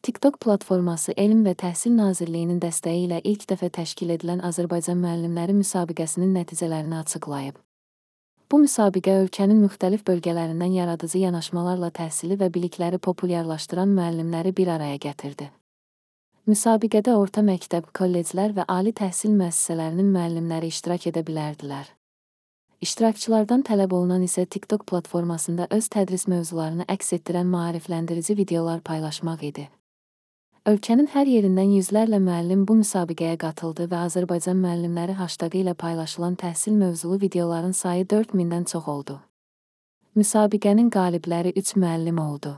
TikTok platforması Elm və Təhsil Nazirliyinin dəstəyi ilə ilk dəfə təşkil edilən Azərbaycan müəllimləri müsabiqəsinin nəticələrini açıqlayıb. Bu müsabiqə ölkənin müxtəlif bölgələrindən yaradıcı yanaşmalarla təhsili və bilikləri populyarlaşdıran müəllimləri bir araya gətirdi. Müsabiqədə orta məktəb, kolleclər və ali təhsil müəssisələrinin müəllimləri iştirak edə bilərdilər. İştirakçılardan tələb olunan isə TikTok platformasında öz tədris mövzularını əks etdirən maarifləndirici videolar paylaşmaq idi. Ölkənin hər yerindən yüzlərlə müəllim bu müsabiqəyə qatıldı və Azərbaycan müəllimləri haştağı ilə paylaşılan təhsil mövzulu videoların sayı 4000-dən çox oldu. Müsabiqənin qalibləri 3 müəllim oldu.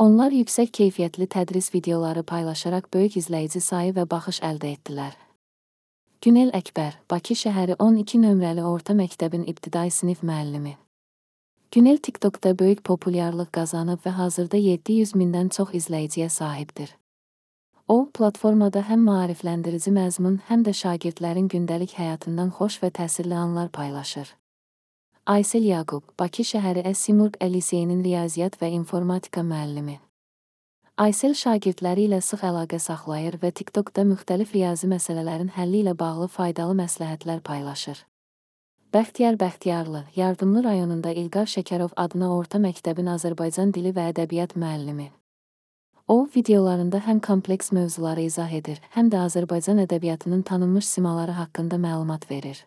Onlar yüksək keyfiyyətli tədris videoları paylaşaraq böyük izləyici sayı və baxış əldə etdilər. Günel Əkbər, Bakı şəhəri 12 nömrəli orta məktəbin ibtidai sinif müəllimi. Günel TikTokda böyük populyarlıq qazanıb və hazırda 700 mindən çox izləyiciyə sahibdir. O, platformada həm maarifləndirici məzmun, həm də şagirdlərin gündəlik həyatından xoş və təsirli anlar paylaşır. Aysel Yaqub, Bakı şəhəri Əsimurq Liseyinin riyaziyyat və informatika müəllimi. Aysel şagirdləri ilə sıx əlaqə saxlayır və TikTokda müxtəlif riyazi məsələlərin həlli ilə bağlı faydalı məsləhətlər paylaşır. Bəxtiyar Bəxtiyarlı, Yardımlı rayonunda İlqar Şəkərov adına orta məktəbin Azərbaycan dili və ədəbiyyat müəllimi. O, videolarında həm kompleks mövzuları izah edir, həm də Azərbaycan ədəbiyyatının tanınmış simaları haqqında məlumat verir.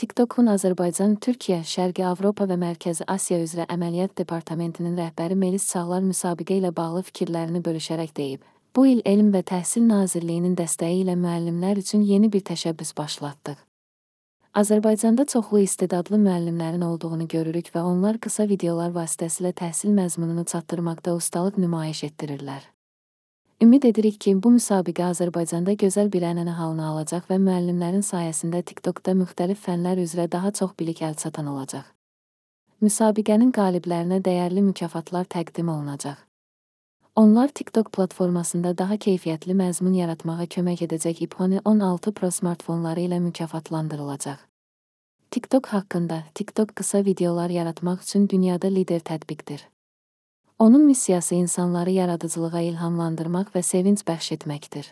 TikTokun Azərbaycan, Türkiyə, Şərqi Avropa və Mərkəzi Asiya üzrə əməliyyat departamentinin rəhbəri Melis Çağlar müsabiqə ilə bağlı fikirlərini bölüşərək deyib, bu il Elm və Təhsil Nazirliyinin dəstəyi ilə müəllimlər üçün yeni bir təşəbbüs başlatdıq. Azərbaycanda çoxlu istedadlı müəllimlərin olduğunu görürük və onlar qısa videolar vasitəsilə təhsil məzmununu çatdırmaqda ustalıq nümayiş etdirirlər. Ümid edirik ki, bu müsabiqə Azərbaycanda gözəl bir ənənə halını alacaq və müəllimlərin sayəsində TikTokda müxtəlif fənlər üzrə daha çox bilik əlçatan olacaq. Müsabiqənin qaliblərinə dəyərli mükafatlar təqdim olunacaq. Onlar TikTok platformasında daha keyfiyyətli məzmun yaratmağa kömək edəcək iPhone 16 Pro smartfonları ilə mükafatlandırılacaq. TikTok haqqında, TikTok qısa videolar yaratmaq üçün dünyada lider tətbiqdir. Onun missiyası insanları yaradıcılığa ilhamlandırmaq və sevinc bəxş etməkdir.